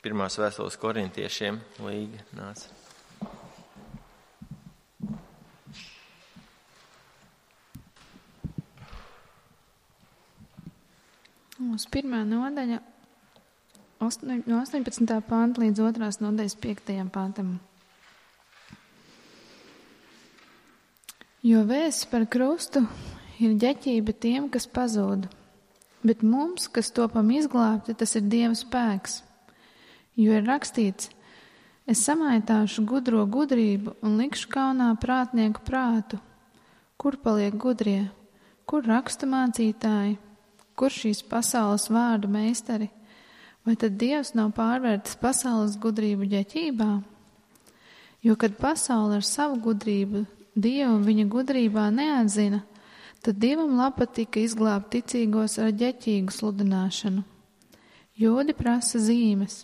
pirmās vēstules korintiešiem. Līga nāca. Uz pirmā nodaļa no 18. panta līdz 2. nodaļas 5. pantam. Jo vēsts par krustu ir ģeķība tiem, kas pazūd, bet mums, kas topam izglābti, tas ir Dieva spēks. Jo ir rakstīts, es samaitāšu gudro gudrību un likšu kaunā prātnieku prātu. Kur paliek gudrie? Kur rakstu mācītāji? Kur šīs pasaules vārdu meistari? Vai tad Dievs nav pārvērtis pasaules gudrību ģeķībā? Jo, kad pasaule ar savu gudrību Dievu viņa gudrībā neatzina, tad Dievam patika izglābt ticīgos ar ģeķīgu sludināšanu. Jūdi prasa zīmes,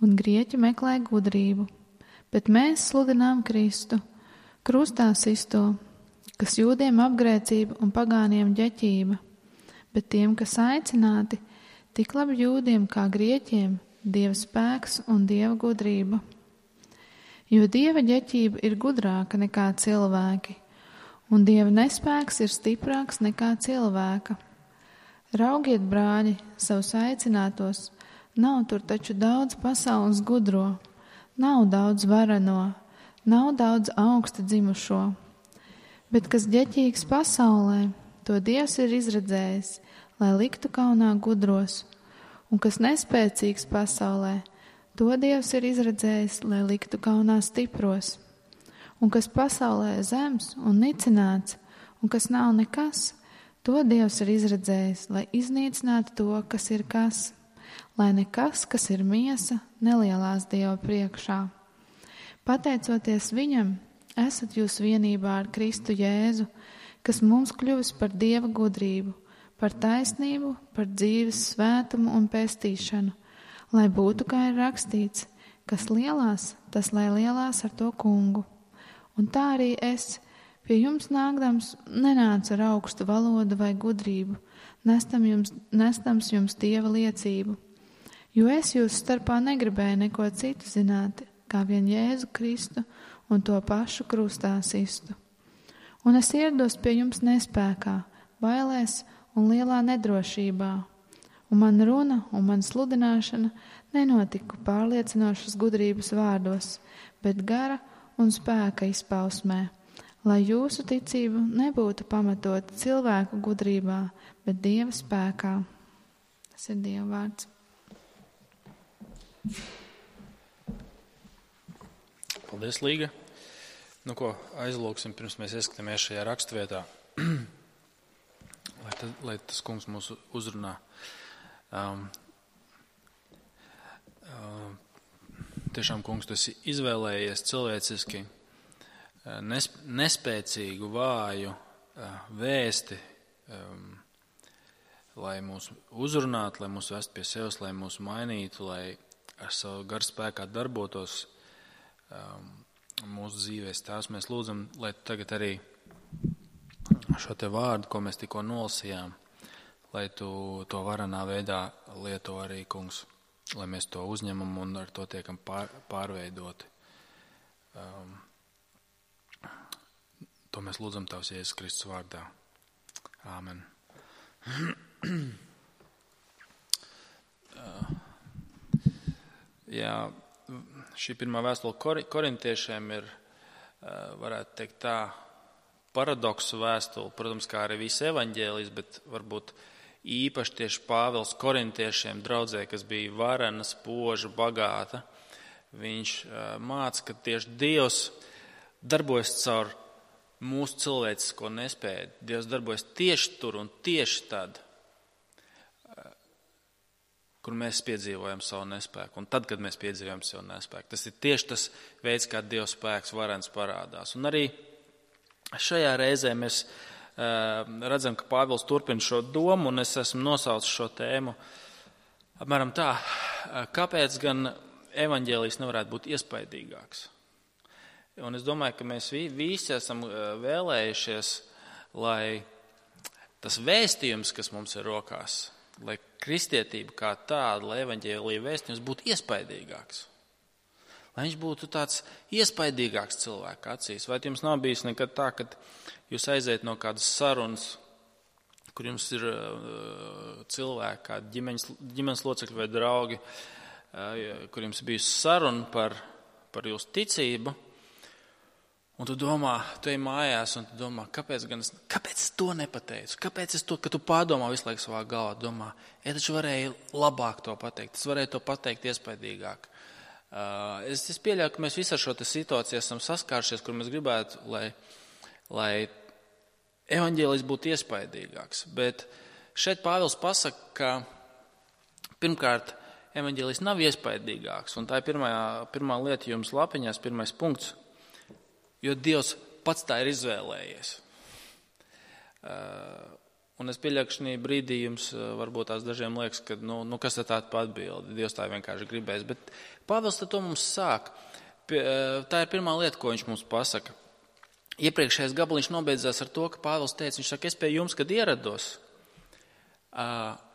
un grieķi meklē gudrību, bet mēs sludinām Kristu, krustā sisto, kas jūdiem apgrēcība un pagāniem ģeķība, bet tiem, kas aicināti, tik labi jūdiem kā grieķiem, Dieva spēks un Dieva gudrība. Jo Dieva ģeķība ir gudrāka nekā cilvēki, un Dieva nespēks ir stiprāks nekā cilvēka. Raugiet, brāļi, savus aicinātos, nav tur taču daudz pasaules gudro, nav daudz varano, nav daudz augsta dzimušo. Bet kas ģeķīgs pasaulē, to Dievs ir izredzējis, lai liktu kaunā gudros, un kas nespēcīgs pasaulē, to Dievs ir izredzējis, lai liktu kaunā stipros. Un kas pasaulē zems un nicināts, un kas nav nekas, to Dievs ir izredzējis, lai iznīcinātu to, kas ir kas, lai nekas, kas ir miesa, nelielās Dieva priekšā. Pateicoties viņam, esat jūs vienībā ar Kristu Jēzu, kas mums kļuvis par Dieva gudrību, par taisnību, par dzīves svētumu un pestīšanu, lai būtu, kā ir rakstīts, kas lielās, tas lai lielās ar to kungu. Un tā arī es, pie jums nākdams, nenācu ar augstu valodu vai gudrību, nestams jums Dieva liecību. Jo es jūs starpā negribēju neko citu zināt, kā vien Jēzu Kristu un to pašu krustā sistu. Un es ierados pie jums nespēkā, bailēs un lielā nedrošībā. Un man runa un man sludināšana nenotika pārliecinošas gudrības vārdos, bet gara un spēka izpausmē, lai jūsu ticība nebūtu pamatota cilvēku gudrībā, bet Dieva spēkā. Tas ir Dieva vārds. Paldies, Līga. Nu ko, aizlūksim, pirms mēs ieskatāmies šajā rakstvietā, lai tas kungs mūs uzrunā. Tiešām, kungs, tu esi izvēlējies cilvēciski nespēcīgu, vāju vēsti, lai mūs uzrunātu, lai mūs vest pie sevis, lai mūs mainītu, lai ar savu garu spēkā darbotos mūsu dzīvēs. Tās mēs lūdzam, lai tagad arī šo te vārdu, ko mēs tikko nolasījām, lai tu to varanā veidā lieto arī, kungs, lai mēs to uzņemam un ar to tiekam pārveidoti. To mēs lūdzam Tavs Jēzus Kristus vārdā. Āmen. Jā, šī pirmā vēstule korintiešiem ir, varētu teikt tā, paradoksu vēstule, protams, kā arī visi evaņģēlijas, bet varbūt īpaši tieši Pāvils korintiešiem draudzē, kas bija varena, spoža, bagāta. Viņš māca, ka tieši Dievs darbojas caur mūsu cilvēcisko nespēju. Dievs darbojas tieši tur un tieši tad, kur mēs piedzīvojam savu nespēku. Un tad, kad mēs piedzīvojam savu nespēku. Tas ir tieši tas veids, kā Dieva spēks varens parādās. Un arī šajā reizē mēs redzam, ka Pāvils turpina šo domu, un es esmu nosaucis šo tēmu apmēram tā, kāpēc gan evaņģēlijs nevarētu būt iespaidīgāks. Un es domāju, ka mēs visi esam vēlējušies, lai tas vēstījums, kas mums ir rokās, lai kristietība kā tāda, lai evaņģēlija vēstījums būtu iespaidīgāks. Lai viņš būtu tāds iespaidīgāks cilvēka acīs. Vai jums nav bijis nekad tā, kad jūs aiziet no kādas sarunas, kur jums ir cilvēki, kādi ģimenes locekļi vai draugi, kur jums bijusi saruna par jūsu ticību, un tu domā, tu ej mājās, un tu domā, kāpēc es to nepateicu? Kāpēc es to, ka tu pārdomā visu laiku savā galvā, domā, taču varēju labāk to pateikt, es varēju to pateikt iespaidīgāk. Es pieļauju, ka mēs visi ar šo situāciju esam saskāršies, kur mēs gribētu, lai evaņģēlijs būtu iespaidīgāks. Bet šeit Pāvils pasaka, ka pirmkārt evaņģēlijs nav iespaidīgāks. Un tā ir pirmā lieta jums lapiņās, pirmais punkts, jo Dievs pats tā ir izvēlējies. Un es pieļauju, ka šī brīdī jums varbūt tās dažiem liekas, ka kas ir tāda atbilde, Dievs tā vienkārši gribēs. Bet Pāvils to mums sāk. Tā ir pirmā lieta, ko viņš mums pasaka. Iepriekšējais gabaliņš nobeidzās ar to, ka Pāvils teica, viņš saka, es pie jums, kad ierados,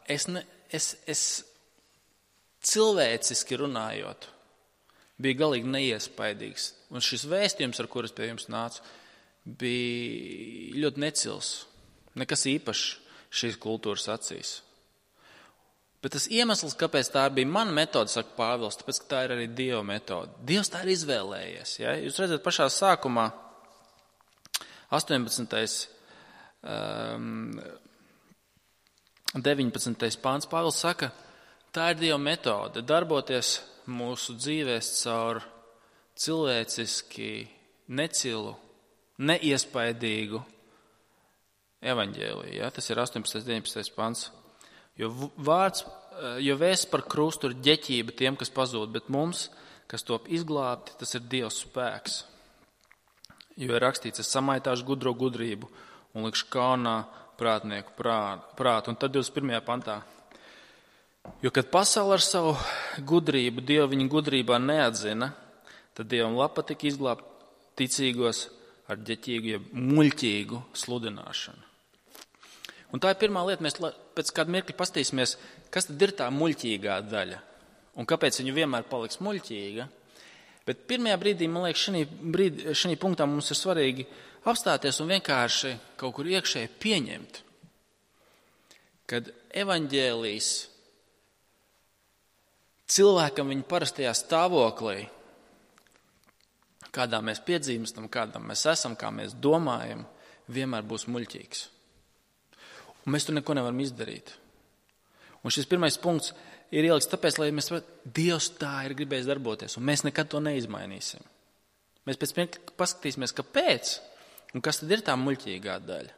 es cilvēciski runājot, bija galīgi neiespaidīgs. Un šis vēstījums, ar kuras pie jums nācu, bija ļoti necils. Nekas īpašs šīs kultūras acīs. Bet tas iemesls, kāpēc tā bija mana metode, saka Pāvils, tāpēc, ka tā ir arī Dieva metode. Dievs tā ir izvēlējies. Ja? Jūs redzat, pašā sākumā, 18. 19. pāns, Pāvils saka, tā ir Dieva metode, darboties mūsu dzīvēs caur cilvēciski necilu, neiespaidīgu evaņģēliju. Ja? Tas ir 18. 19. pants. Jo vēsts par krustu ir ģeķība tiem, kas pazūd, bet mums, kas top izglābti, tas ir Dieva spēks. Jo ir rakstīts, es samaitāšu gudro gudrību un likšu kaunā prātnieku prātu. Un tad 21. pantā. Jo, kad pasaule ar savu gudrību, Dievu viņa gudrībā neatzina, tad Dievam patika izglābt ticīgos ar ģeķīgu, ja muļķīgu sludināšanu. Un tā ir pirmā lieta, mēs pēc kāda mirkļa pastīsimies, kas tad ir tā muļķīgā daļa un kāpēc viņa vienmēr paliks muļķīga. Bet pirmajā brīdī, man liekas, šī punktā mums ir svarīgi apstāties un vienkārši kaut kur iekšēji pieņemt, kad evaņģēlijs cilvēkam viņa parastajā stāvoklī, kādā mēs piedzīvstam, kādā mēs esam, kā mēs domājam, vienmēr būs muļķīgs. Un mēs tur neko nevaram izdarīt. Un šis pirmais punkts ir ielikts tāpēc, lai mēs Dievs tā ir gribējis darboties, un mēs nekad to neizmainīsim. Mēs pēc mirkļa paskatīsimies, kāpēc, un kas tad ir tā muļķīgā daļa.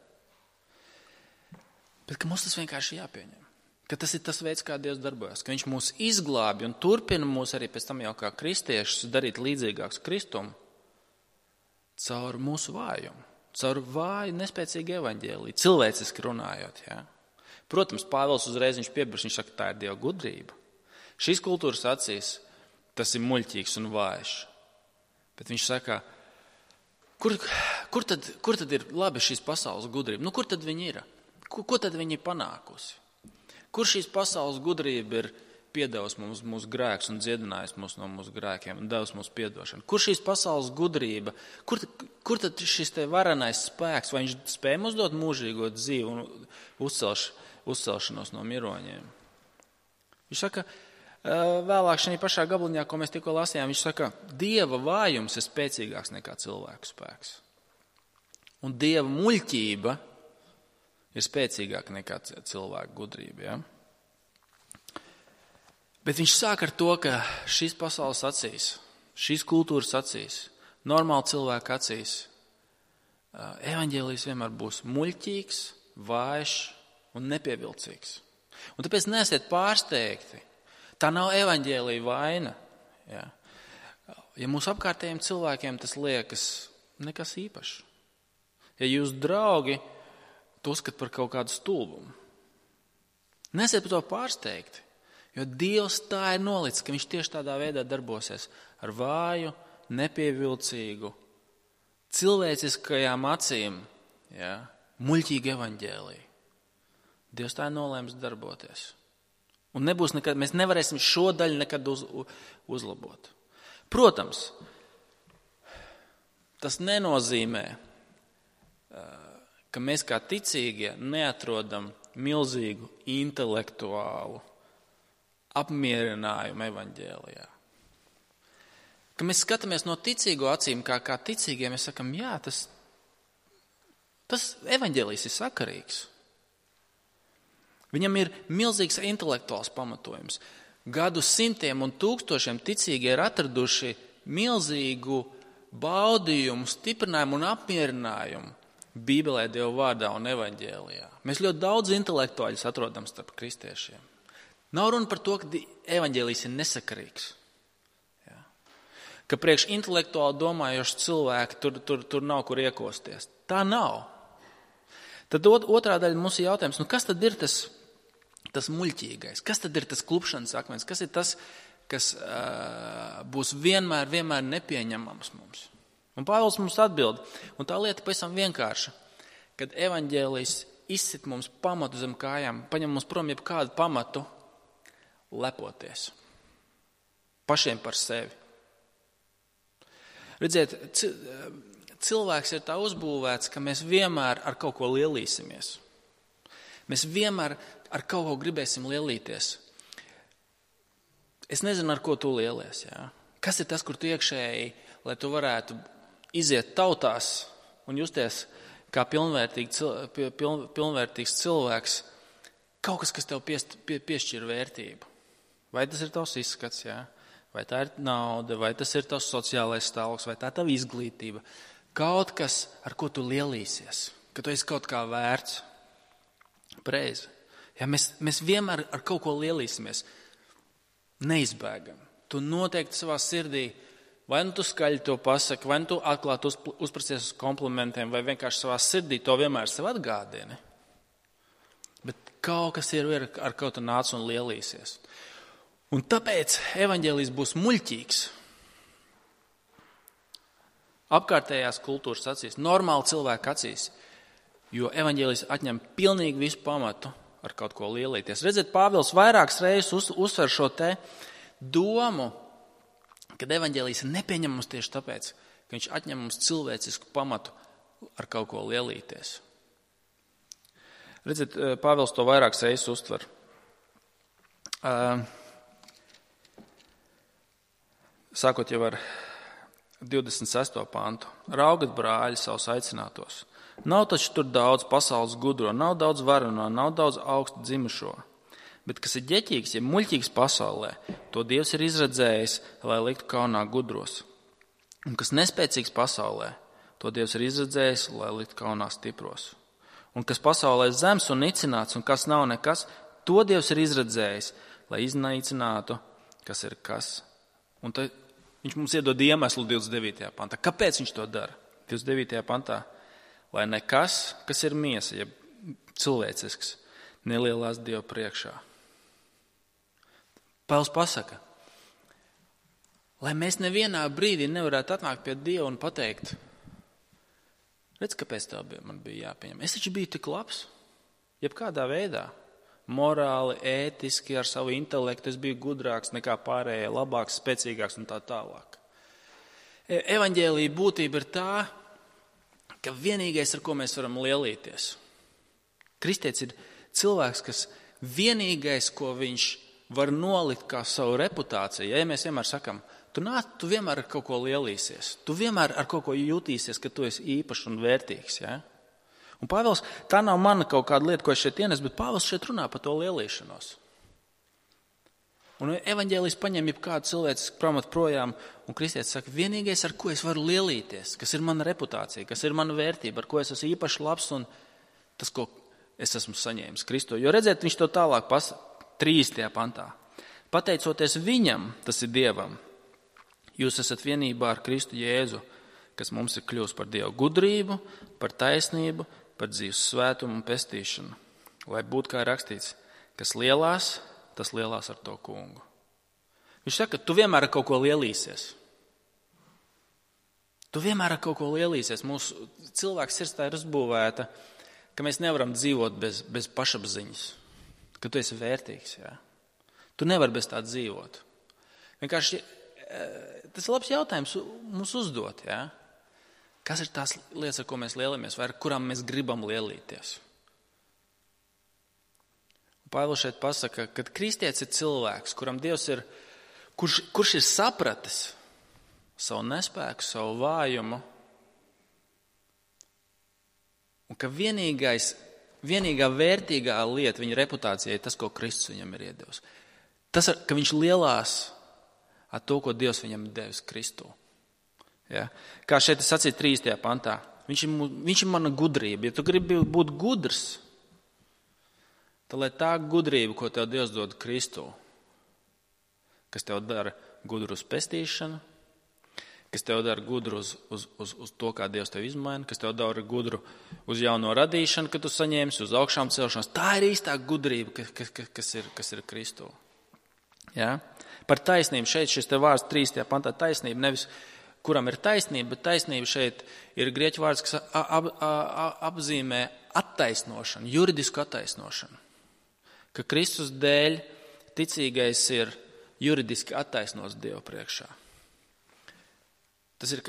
Bet ka mums tas vienkārši jāpieņem. Ka tas ir tas veids, kā Dievs darbojas, ka viņš mūs izglābi un turpina mūs arī pēc tam jau kā kristiešus darīt līdzīgāks Kristumu caur mūsu vājumu. Caur vāju, nespēcīgu evaņģēliju, cilvēciski runājot. Ja? Protams, Pāvils uzreiz viņš piebrīž, viņš saka, tā ir Dieva gudrība. Šīs kultūras acīs tas ir muļķīgs un vājš. Bet viņš saka, kur tad ir labi šīs pasaules gudrība? Kur tad viņi ir? Ko tad viņi ir panākusi? Kur šīs pasaules gudrība ir piedevusi mums mūsu grēkus un dziedinājusi mūs no mūsu grēkiem un devusi mums piedošanu? Kur šīs pasaules gudrība, kur tad šis te varenais spēks, vai viņš spēj mums dot mūžīgo dzīvi un uzcelšanos no miroņiem? Viņš saka, vēlāk šajā pašā gabaliņā, ko mēs tikko lasījām, viņš saka, Dieva vājums ir spēcīgāks nekā cilvēku spēks. Un Dieva muļķība ir spēcīgāka nekā cilvēku gudrība, ja? Bet viņš sāk ar to, ka šīs pasaules acīs, šīs kultūras acīs, normāli cilvēku acīs, evaņģēlijs vienmēr būs muļķīgs, vājš un nepievilcīgs. Un tāpēc neesiet pārsteigti. Tā nav evaņģēlija vaina. Ja, mūsu apkārtējiem cilvēkiem tas liekas nekas īpašs. Ja jūs draugi to uzskat par kaut kādu stulbumu, neesiet par to pārsteigti. Jo Dievs tā ir nolicis, ka viņš tieši tādā veidā darbosies ar vāju, nepievilcīgu, cilvēciskajām acīm, ja, muļķīgu evaņģēliju. Dievs tā ir nolēmis darboties. Un nebūs nekad, mēs nevarēsim šo daļu nekad uzlabot. Protams, tas nenozīmē, ka mēs kā ticīgie neatrodam milzīgu intelektuālu apmierinājumu evaņģēlijā. Ka mēs skatāmies no ticīgo acīm, kā ticīgie, mēs sakam, jā, tas evaņģēlijs ir sakarīgs. Viņam ir milzīgs intelektuāls pamatojums. Gadu simtiem un tūkstošiem ticīgi ir atraduši milzīgu baudījumu, stiprinājumu un apmierinājumu Bībelē, Dieva vārdā un evaņģēlijā. Mēs ļoti daudz intelektuāļus atrodam starp kristiešiem. Nav runa par to, ka evaņģēlijs ir nesakarīgs. Jā. Ka priekš intelektuāli domājoši cilvēki tur nav kur iekosties. Tā nav. Tad otrā daļa mums ir jautājums, kas tad ir tas muļķīgais? Kas tad ir tas klupšanas akmens? Kas ir tas, kas būs vienmēr nepieņemams mums? Un Pāvils mums atbild, un tā lieta pavisam vienkārša, kad evaņģēlijs izsit mums pamatu zem kājām, paņem mums prom jebkādu pamatu lepoties. Pašiem par sevi. Redziet, cilvēks ir tā uzbūvēts, ka mēs vienmēr ar kaut ko lielīsimies. Mēs vienmēr ar kaut ko gribēsim lielīties. Es nezinu, ar ko tu lielies. Jā? Kas ir tas, kur tu iekšēji, lai tu varētu iziet tautās un justies kā pilnvērtīgs cilvēks, kaut kas tev piešķir vērtību. Vai tas ir tavs izskats, jā? Vai tā ir nauda, vai tas ir tavs sociālais stāvoklis, vai tā ir tava izglītība. Kaut kas, ar ko tu lielīsies, ka tu esi kaut kā vērts. Pareizi. Ja mēs vienmēr ar kaut ko lielīsimies. Neizbēgam. Tu noteikti savā sirdī, vai nu tu skaļi to pasaki, vai nu tu atklāti uzprasties uz komplimentiem, vai vienkārši savā sirdī to vienmēr sev atgādini. Bet kaut kas ir ar kaut ko nāc un lielīsies. Un tāpēc evaņģēlijs būs muļķīgs. Apkārtējās kultūras acīs, normāli cilvēku acīs, jo evaņģēlijs atņem pilnīgi visu pamatu ar kaut ko lielīties. Redziet, Pāvils vairākas reizes uzsver šo te domu, kad evaņģēlijs ir nepieņemams tieši tāpēc, ka viņš atņem mums cilvēcisku pamatu ar kaut ko lielīties. Redziet, Pāvils to vairākas reizes uztver. Sākot jau ar 26. pantu. Raugat, brāļi, savus aicinātos. Nav taču tur daudz pasaules gudro, nav daudz varano, nav daudz augstu dzimušo. Bet kas ir ģeķīgs, ja muļķīgs pasaulē, to Dievs ir izredzējis, lai liktu kaunā gudros. Un kas nespēcīgs pasaulē, to Dievs ir izredzējis, lai liktu kaunā stipros. Un kas pasaulē zems un nicināts, un kas nav nekas, to Dievs ir izredzējis, lai iznīcinātu, kas ir kas. Un tad viņš mums iedod iemeslu 29. pantā. Kāpēc viņš to dara? 29. pantā. Lai nekas, kas ir miesa, ja cilvēcisks, nelielās Dieva priekšā. Pāvils pasaka, lai mēs nevienā brīdī nevarētu atnākt pie Dieva un pateikt, redz, kāpēc tev man bija jāpieņem. Es taču biju tik labs, jebkādā veidā. Morāli, ētiski, ar savu intelektu es biju gudrāks nekā pārējie, labāks, spēcīgāks un tā tālāk. Evaņģēlija būtība ir tā, ka vienīgais, ar ko mēs varam lielīties. Kristietis ir cilvēks, kas vienīgais, ko viņš var nolikt kā savu reputāciju. Ja mēs vienmēr sakam, tu vienmēr ar kaut ko lielīsies. Tu vienmēr ar kaut ko jūtīsies, ka tu esi īpašs un vērtīgs. Ja? Un Pāvils, tā nav mana kaut kāda lieta, ko es šeit ienesu, bet Pāvils šeit runā par to lielīšanos. Un evaņģēlijs paņem jebkādu cilvēcisku pamatu projām, un kristietis saka, vienīgais, ar ko es varu lielīties, kas ir mana reputācija, kas ir mana vērtība, ar ko es esmu īpaši labs un tas, ko es esmu saņēmis Kristo. Jo redziet, viņš to tālāk 30. pantā. Pateicoties viņam, tas ir Dievam, jūs esat vienībā ar Kristu Jēzu, kas mums ir kļūst par Dievu gudrību, par taisnību, par dzīves svētumu un pestīšanu. Lai būtu kā rakstīts, kas lielās, tas lielās ar to kungu. Viņš saka, tu vienmēr ar kaut ko lielīsies. Tu vienmēr ar kaut ko lielīsies. Mūsu cilvēks sirds tā ir uzbūvēta, ka mēs nevaram dzīvot bez pašapziņas, ka tu esi vērtīgs. Jā. Tu nevari bez tā dzīvot. Vienkārši tas ir labs jautājums mums uzdot. Ja? Kas ir tās lietas, ar ko mēs lielamies, vai ar kurām mēs gribam lielīties? Pāvils šeit pasaka, ka kristietis ir cilvēks, kuram Dievs ir, kurš ir sapratis savu nespēku, savu vājumu, un ka vienīgā vērtīgā lieta viņa reputācijai ir tas, ko Kristus viņam ir iedevis. Tas, ka viņš lielās ar to, ko Dievs viņam ir devis Kristū. Ja? Kā šeit es sacīju 3. pantā, viņš ir mana gudrība. Ja tu gribi būt gudrs, tad lai tā gudrība, ko tev Dievs dod Kristū, kas tev dara gudru uz pestīšanu, kas tev dara gudru uz to, kā Dievs tev izmaina, kas tev dara gudru uz jauno radīšanu, kad tu saņemsi, uz augšām celšanos. Tā ir īstā gudrība, kas ir Kristū. Ja? Par taisnību šeit šis te vārds 3. pantā taisnība, nevis kuram ir taisnība, bet taisnība šeit ir grieķu vārds, kas apzīmē attaisnošanu, juridisku attaisnošanu. Ka Kristus dēļ ticīgais ir juridiski attaisnots Dievu priekšā. Tas ir,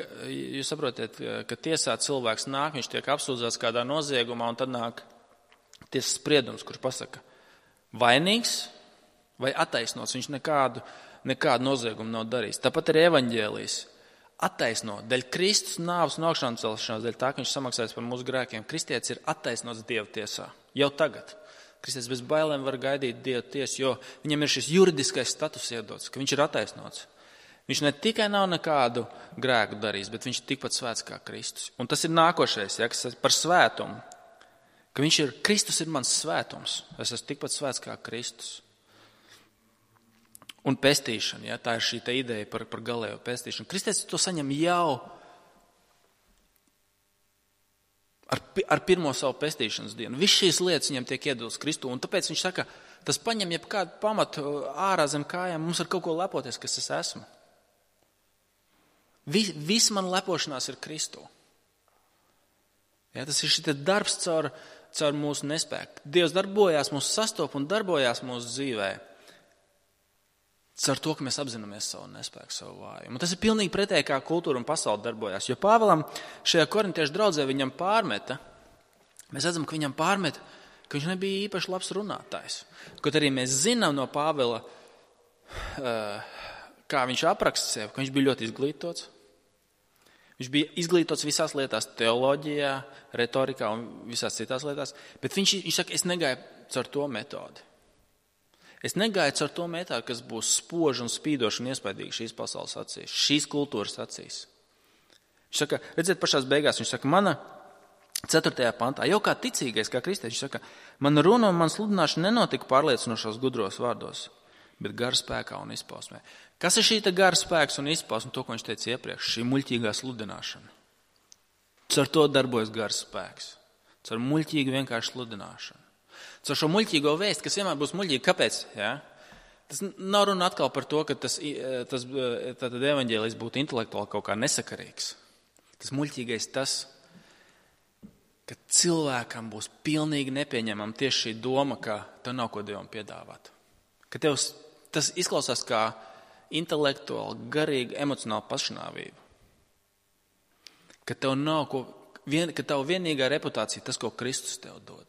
jūs saprotiet, ka tiesā cilvēks nāk, viņš tiek apsūdzēts kādā noziegumā, un tad nāk tiesas spriedums, kurš pasaka vainīgs vai attaisnots. Viņš nekādu noziegumu nav darījis. Tāpat arī evaņģēlijs attaisno. Dēļ Kristus nāves un augšām celšanās, dēļ tā, ka viņš samaksājas par mūsu grēkiem. Kristietis ir attaisnots Dieva tiesā. Jau tagad. Kristietis bez bailēm var gaidīt Dieva tiesu, jo viņam ir šis juridiskais status iedots, ka viņš ir attaisnots. Viņš ne tikai nav nekādu grēku darījis, bet viņš ir tikpat svēts kā Kristus. Un tas ir nākošais, ja, kas par svētumu. Ka Kristus ir mans svētums. Es esmu tikpat svēts kā Kristus. Un pestīšana, ja, tā ir šī te ideja par galējo pestīšanu. Kristietis to saņem jau ar pirmo savu pestīšanas dienu. Viss šīs lietas viņam tiek iedotas Kristū, un tāpēc viņš saka, tas paņem jebkādu pamatu ārā zem kājām, mums ar kaut ko lepoties, kas es esmu. Viss man lepošanās ir Kristū. Ja, tas ir šī darbs caur mūsu nespēku. Dievs darbojās, mūsu sastop un darbojās mūsu dzīvē. Caur to, ka mēs apzināmies savu nespēku, savu vājumu. Un tas ir pilnīgi pretēji, kā kultūra un pasaule darbojās. Jo Pāvilam šajā korintiešu draudzē viņam pārmeta, mēs redzam, ka viņam pārmeta, ka viņš nebija īpaši labs runātājs. Kaut arī mēs zinām no Pāvila, kā viņš apraksta sevi, ka viņš bija ļoti izglītots. Viņš bija izglītots visās lietās, teoloģijā, retorikā un visās citās lietās, bet viņš saka, es negāju caur to metodi. Es negāju caur to metodu, kas būs spoža un spīdoša un iespaidīga šīs pasaules acīs, šīs kultūras acīs. Viņš saka, redziet, pašās beigās, viņš saka, mana 4. pantā, jau kā ticīgais, kā kristietis, viņš saka, mana runa un man sludināšana nenotika pārliecinošos gudros vārdos, bet gara spēkā un izpausmē. Kas ir šī gara spēks un izpausme, to, ko viņš teica iepriekš, šī muļķīgā sludināšana? Caur to darbojas gara spēks, caur muļķīgu vienkārši sludināšanu. Caur šo muļķīgo vēstu, kas vienmēr būs muļķīga. Kāpēc? Ja? Tas nav runa atkal par to, ka tas evaņģēlijs būtu intelektuāli kaut kā nesakarīgs. Tas muļķīgais tas, ka cilvēkam būs pilnīgi nepieņemama tieši šī doma, ka tev nav ko Dievam piedāvāt. Ka tev tas izklausās kā intelektuāli, garīgi, emocionāli pašnāvība. Ka tev nav ka tev vienīgā reputācija tas, ko Kristus tev dod.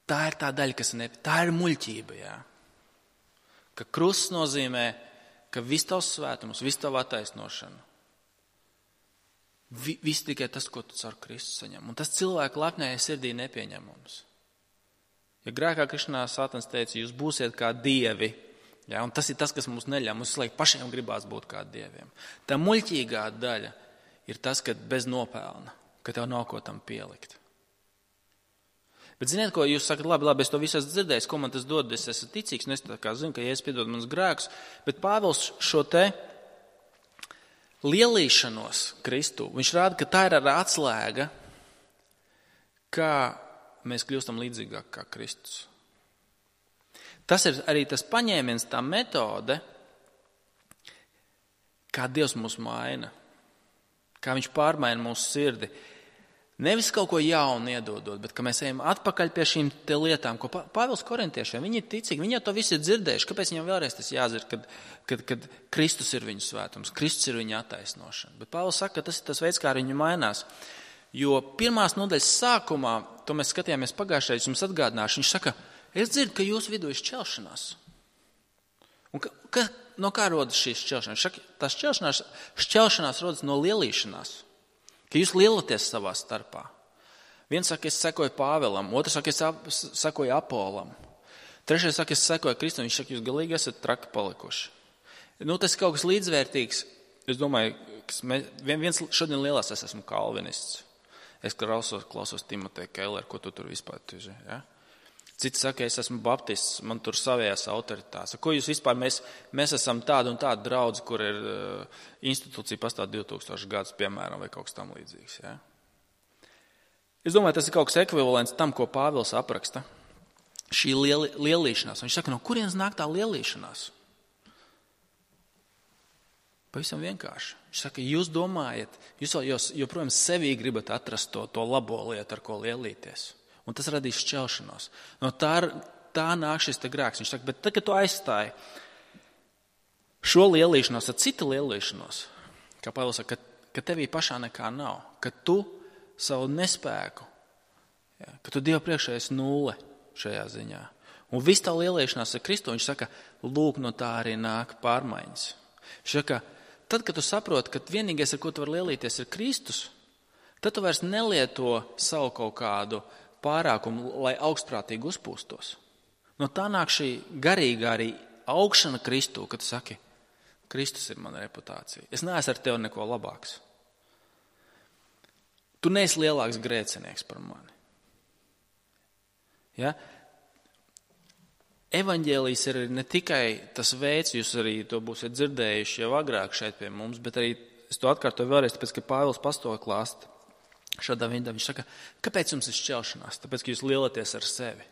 Tā ir tā daļa, tā ir muļķība, jā. Ka krusts nozīmē, ka viss tavs svētums, viss tava attaisnošana, viss tikai tas, ko tu caur Kristu saņem. Un tas cilvēku lepnējai sirdī nepieņemams. Ja grēkā krišanā Sātans teica, jūs būsiet kā dievi, jā, un tas ir tas, kas mums neļauj. Mums laikam pašiem gribās būt kā dieviem. Tā muļķīgā daļa ir tas, ka bez nopelna, ka tev nav ko tam pielikt. Bet ziniet, ko jūs sakat, labi, es to visu esmu dzirdējis, ko man tas dod, es esmu ticīgs, un es tā kā zinu, ka Jēzus piedod manas grēkus, bet Pāvils šo te lielīšanos Kristu, viņš rāda, ka tā ir ar atslēga, kā mēs kļūstam līdzīgāk kā Kristus. Tas ir arī tas paņēmiens, tā metode, kā Dievs mūs maina, kā viņš pārmaina mūsu sirdi. Nevis kaut ko jaunu iedodot, bet ka mēs ejam atpakaļ pie šīm te lietām, ko Pāvils korintiešiem, viņi ir ticīgi, viņi jau to visu ir dzirdējuši. Kāpēc viņam vēlreiz tas jāzina, kad Kristus ir viņu svētums, Kristus ir viņa attaisnošana. Bet Pāvils saka, ka tas ir tas veids, kā viņi mainās. Jo pirmās nodaļas sākumā, to mēs skatījāmies pagājušajā, jums atgādināšu, viņš saka, es dzirdu, ka jūsu vidū ir šķelšanās. Un no kā rodas šīs šķelšanās? Tās šķelšanās rodas no lielīšanās. Ka jūs lielaties savā starpā. Viens saka, es sekoju Pāvelam, otrs saka, es sekoju Apolam. Trešais saka, es sekoju Kristum, viņš saka, jūs galīgi esat traki palikuši. Tas ir kaut kas līdzvērtīgs. Es domāju, viens šodien lielās es esmu kalvinists. Es klausos Timoteja Kelleru, ko tu tur vispār tuži, ja? Citi saka, es esmu baptists, man tur savējās autoritātes. Ko jūs vispār, mēs esam tāda un tāda draudze, kur ir institūcija pastāv 2000 gadus, piemēram, vai kaut kas tam līdzīgs. Ja? Es domāju, tas ir kaut kas ekvivalents tam, ko Pāvils apraksta. Šī lielīšanās. Viņš saka, no kurienes nāk tā lielīšanās? Pavisam vienkārši. Viņš saka, jūs domājat, jūs joprojām sevī gribat atrast to labo lietu, ar ko lielīties. Un tas radīs šķelšanos. No tā nāk šis te grēks. Viņš saka, bet tad, kad tu aizstāji šo lielīšanos ar citu lielīšanos, kā Pāvils saka, ka tevī pašā nekā nav, ka tu savu nespēku, ja, ka tu Dieva priekšā esi nulle šajā ziņā. Un viss tā lielīšanās ar Kristu, viņš saka, lūk, no tā arī nāk pārmaiņas. Viņš saka, tad, kad tu saproti, ka vienīgais, ar ko tu vari lielīties, ir Kristus, tad tu vairs nelieto savu kaut kādu pārākumu, lai augstprātīgi uzpūstos. No tā nāk šī garīgā arī augšana Kristū, kad tu saki, Kristus ir mana reputācija. Es neesmu ar tevi neko labāks. Tu neesi lielāks grēcinieks par mani. Ja? Evaņģēlijs ir ne tikai tas veids, jūs arī to būsiet dzirdējuši jau agrāk šeit pie mums, bet arī es to atkārtoju vēlreiz, tāpēc, ka Pāvils pasto klāst. Šādā veidā viņš saka, kāpēc jums ir šķelšanās? Tāpēc, ka jūs lielaties ar sevi.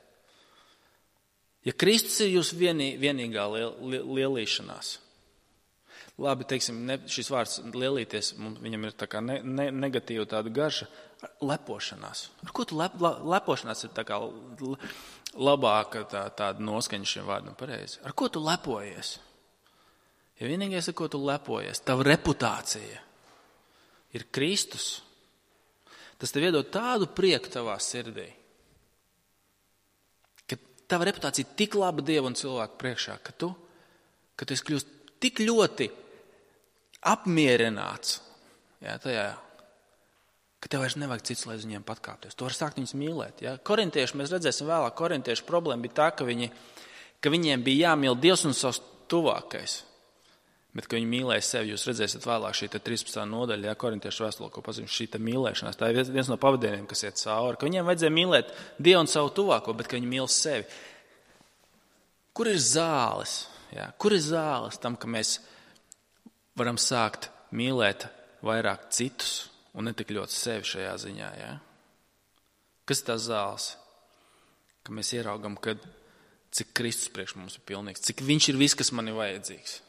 Ja Kristus ir jūsu vienīgā lielīšanās, labi, teiksim, šis vārds lielīties, viņam ir tā kā negatīva tāda garša, lepošanās. Ar ko tu lepošanās ir tā kā labāka tāda noskaņa šiem vārdam pareizi? Ar ko tu lepojies? Ja vienīgais, ar ko tu lepojies, tava reputācija ir Kristus. Tas tev iedod tādu prieku tavā sirdī, ka tava reputācija ir tik laba Dieva un cilvēku priekšā, ka tu esi kļūst tik ļoti apmierināts, ja, tajā, ka tev vairs nevajag cits, lai uz viņiem patkāpties. Tu vari sākt viņus mīlēt. Ja. Korintieši, mēs redzēsim vēlāk, korintiešu problēma bija tā, ka viņiem bija jāmīl Dievs un savs tuvākais. Bet, ka viņi mīlēja sevi, jūs redzēsiet vēlāk šī 13. nodaļa, ja, korintiešu vēstulē, ko pazīst šī mīlēšanās. Tā ir viens no pavadieniem, kas iet cauri, ka viņiem vajadzēja mīlēt Dievu un savu tuvāko, bet ka viņi mīl sevi. Kur ir zāles? Ja? Kur ir zāles tam, ka mēs varam sākt mīlēt vairāk citus un ne tik ļoti sevi šajā ziņā? Ja? Kas ir tās zāles? Ka mēs ieraugam, cik Kristus priekš mums ir pilnīgs, cik viņš ir viss, kas man ir vajadzīgs.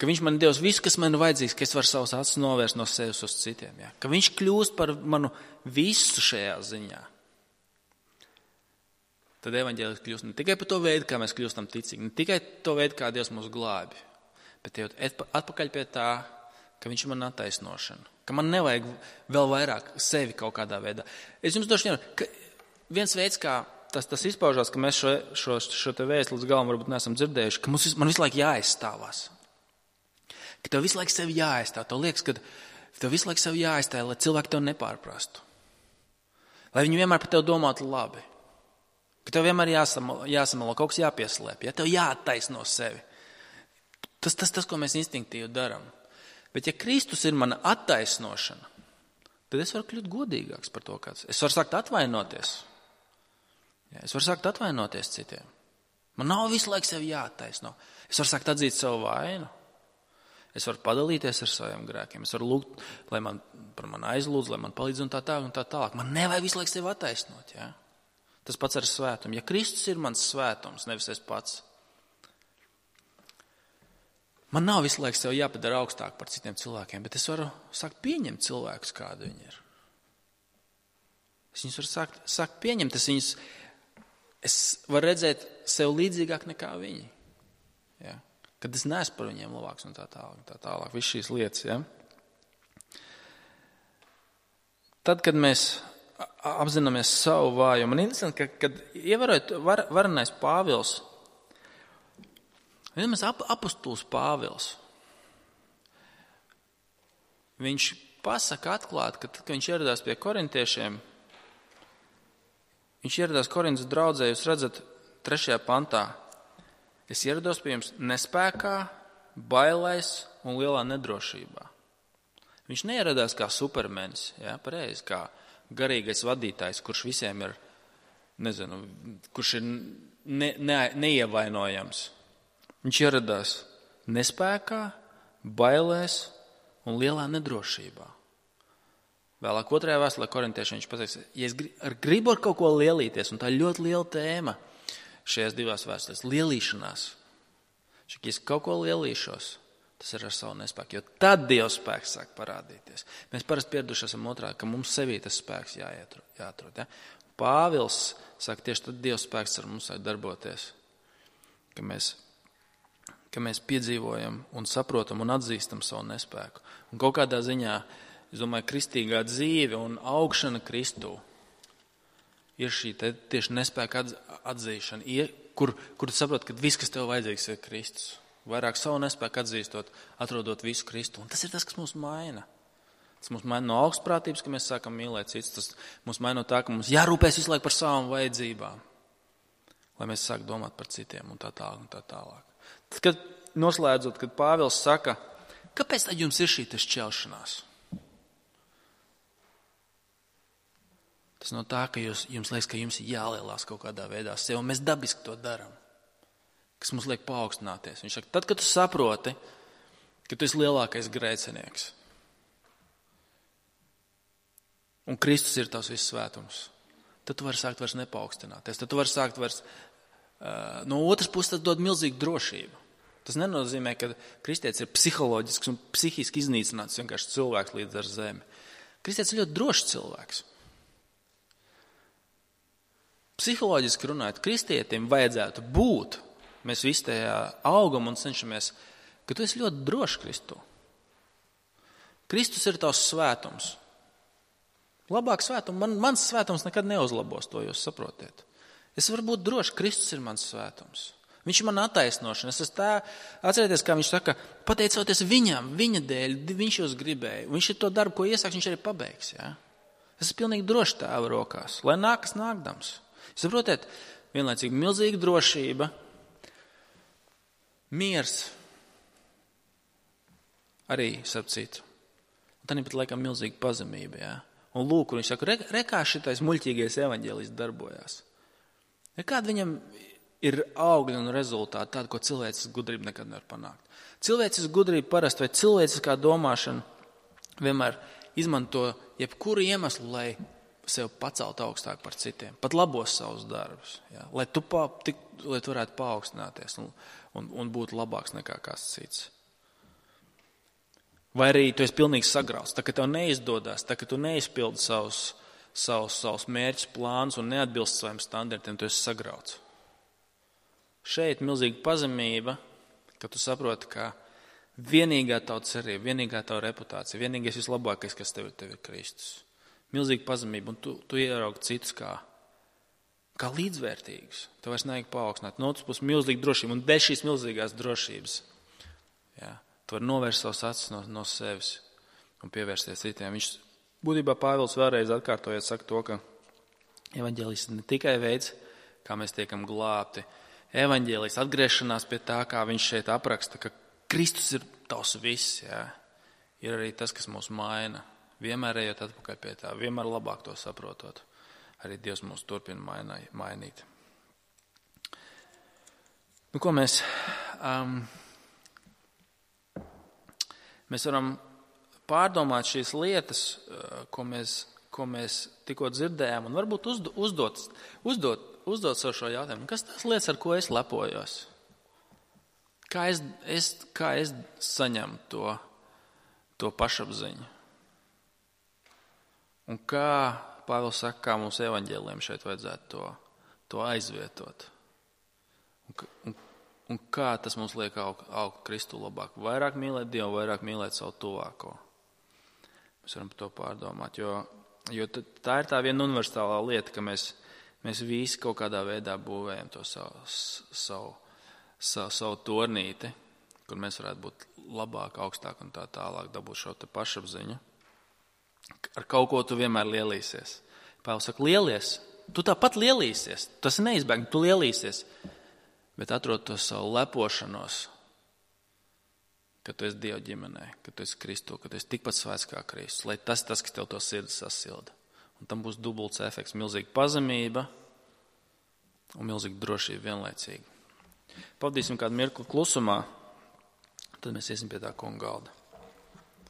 Ka viņš man devis visu, kas man ir vajadzīgs, ka es varu savus acis novērst no sevis uz citiem. Ja? Ka viņš kļūst par manu visu šajā ziņā. Tad evaņģēlis kļūst ne tikai par to veidu, kā mēs kļūstam ticīgi, ne tikai to veidu, kā Dievs mūs glābi, bet atpakaļ pie tā, ka viņš ir man attaisnošana. Ka man nevajag vēl vairāk sevi kaut kādā veidā. Es jums došu viens veids, kā tas izpaužās, ka mēs šo te vēstu līdz galam varbūt neesam dzirdējuši, ka man visu laiku jāaizstāvās. Ka tev visu laiku sevi jāaizstāv. Tev liekas, ka tev visu laiku sevi jāaizstāv, lai cilvēki tev nepārprastu. Lai viņi vienmēr par tevi domātu labi. Ka tev vienmēr jāsamalo, kaut kas jāpieslēp. Ja? Tev jāattaisno sevi. Tas, ko mēs instinktīvi darām. Bet ja Kristus ir mana attaisnošana, tad es varu kļūt godīgāks par to, kāds. Es varu sākt atvainoties. Ja? Es varu sākt atvainoties citiem. Man nav visu laiku sevi jāattaisno. Es varu sākt atzīt savu vainu. Es varu padalīties ar saviem grēkiem. Es varu lūgt, lai par mani aizlūdz, lai man palīdz un tā tālāk. Man nevajag visu laiku sevi attaisnot. Ja? Tas pats ar svētumu. Ja Kristus ir mans svētums, nevis es pats. Man nav visu laiku sev jāpadara augstāk par citiem cilvēkiem, bet es varu sākt pieņemt cilvēkus, kādi viņi ir. Es viņus varu sākt pieņemt, es varu redzēt sev līdzīgāk nekā viņi. Ja? Kad es neesmu par viņiem labāks un tā tālāk. Viss šīs lietas, ja? Tad, kad mēs apzināmies savu vājumu, man interesanti, kad ievērojot varenais Pāvils, apostols Pāvils, viņš pasaka atklāti, ka tad, kad viņš ieradās pie korintiešiem, viņš ieradās Korintas draudzē, jūs redzat 3. pantā, es ierados pie jums nespēkā, bailēs un lielā nedrošībā. Viņš neieradās kā supermenis, ja, pareizi, kā garīgais vadītājs, kurš visiem ir, kurš ir neievainojams. Viņš ieradās nespēkā, bailēs un lielā nedrošībā. Vēlāk 2. vēstulē korintiešiem viņš pateiks, ja es gribu ar kaut ko lielīties, un tā ir ļoti liela tēma šajās 2 vēstulēs, lielīšanās. Ja es kaut ko lielīšos, tas ir ar savu nespēku, jo tad Dieva spēks sāk parādīties. Mēs parasti pieraduši esam otrādi, ka mums sevī tas spēks jāatrod. Ja? Pāvils saka, tieši tad Dieva spēks ar mums sāk darboties, ka mēs piedzīvojam un saprotam un atzīstam savu nespēku. Un kaut kādā ziņā, es domāju, kristīgā dzīve un augšana Kristū ir šī tieši nespēka atzīšana, kur tu saproti, ka viss, kas tev vajadzīgs, ir Kristus. Vairāk savu nespēku atzīstot, atrodot visu Kristu. Un tas ir tas, kas mūs maina. Tas mūs maina no augstprātības, ka mēs sākam mīlēt citus. Tas mūs maina no tā, ka mums jārūpēs visu laiku par savām vajadzībām, lai mēs sāk domāt par citiem un tā tālāk. Tad, kad noslēdzot, kad Pāvils saka, kāpēc tad jums ir šī šķelšanās? Tas no tā, ka jums liekas, ka jums ir jālielās kaut kādā veidā sev, un mēs dabiski to darām, kas mums liek paaugstināties. Viņš saka, tad, kad tu saproti, ka tu esi lielākais grēcinieks, un Kristus ir tavs viss svētums, tad tu vari sākt vairs nepaukstināties, tad tu vari sākt vairs, no otras puses tas dod milzīgu drošību. Tas nenozīmē, ka kristietis ir psiholoģisks un psihiski iznīcināts vienkārši cilvēks līdz ar zemi. Kristietis ir ļoti drošs cilvēks. Psiholoģiski runājot, kristietim vajadzētu būt, mēs visi tajā augam un cenšamies, ka tu esi ļoti drošs Kristu. Kristus ir tavs svētums. Labāk svētums, mans svētums nekad neuzlabos, to jūs saprotiet. Es varu būt drošs, Kristus ir mans svētums. Viņš ir man attaisnošana. Atcerieties, kā viņš saka, pateicoties viņam, viņa dēļ, viņš jūs gribēja. Viņš ir to darbu, ko iesāks, viņš arī pabeigs. Ja? Es esmu pilnīgi drošs Tēva rokās, lai nākas nākdams. Saprotiet, vienlaicīgi milzīga drošība, miers, arī sapcīt. Tā nepat laikam milzīga pazemība. Ja? Un lūk, kur viņš saka, rekā šitais muļķīgais evaņģēlijs darbojās. Kāda viņam ir augļi un rezultāti, tādi, ko cilvēces gudrība nekad nevar panākt. Cilvēces gudrība parasti vai cilvēciskā domāšana vienmēr izmanto jebkuru iemeslu, lai sev pacelt augstāk par citiem, pat labos savus darbus, ja? Lai tu varētu paaugstināties un būt labāks nekā kāds cits. Vai arī tu esi pilnīgi sagrauts, tā ka tev neizdodas, tā ka tu neizpildi savus mērķus, plānus un neatbilst saviem standartiem, tu esi sagrauts. Šeit milzīga pazemība, ka tu saproti, ka vienīgā tava cerība, vienīgā tava reputācija, vienīgais vislabākais, kas tev ir Kristus. Milzīga pazemība, un tu ieraugi citus kā līdzvērtīgus. Tev vairs nevajag paaugstināt. No otras puses milzīga drošība, un bez šīs milzīgās drošības, jā, tu vari novērst savus acis no sevis un pievērsties citiem. Viņš būtībā Pāvils vēlreiz atkārtojot saka to, ka evaņģēlijs ir ne tikai veids, kā mēs tiekam glābti. Evaņģēlijs atgriešanās pie tā, kā viņš šeit apraksta, ka Kristus ir tavs viss, jā, ir arī tas, kas mūs maina. Vienmēr ejot atpakaļ pie tā, vienmēr labāk to saprotot. Arī Dievs mūs turpina mainīt. Nu, ko mēs varam pārdomāt šīs lietas, ko mēs tikko dzirdējām, un varbūt uzdot sev šo jautājumu. Kas tās lietas, ar ko es lepojos? Kā es saņemu to pašapziņu? Un kā Pāvils saka, kā mums evaņģēliem šeit vajadzētu to aizvietot? Un kā tas mums liek augt Kristu labāk? Vairāk mīlēt Dievu, vairāk mīlēt savu tuvāko. Mēs varam par to pārdomāt, jo tā ir tā viena universālā lieta, ka mēs visi kaut kādā veidā būvējam to savu tornīti, kur mēs varētu būt labāk, augstāk un tā tālāk, dabūt šo te pašapziņu. Ar kaut ko tu vienmēr lielīsies. Pāvils saka, lielies, tu tāpat lielīsies, tas ir neizbēgami, tu lielīsies, bet atrod to savu lepošanos, ka tu esi Dieva ģimenē, ka tu esi Kristu, ka tu esi tikpat svēts kā Kristus, lai tas, kas tev to sirdi sasilda. Un tam būs dubults efekts, milzīga pazemība un milzīga drošība vienlaicīgi. Pavadīsim kādu mirkli klusumā, tad mēs iesim pie tā kunga galda.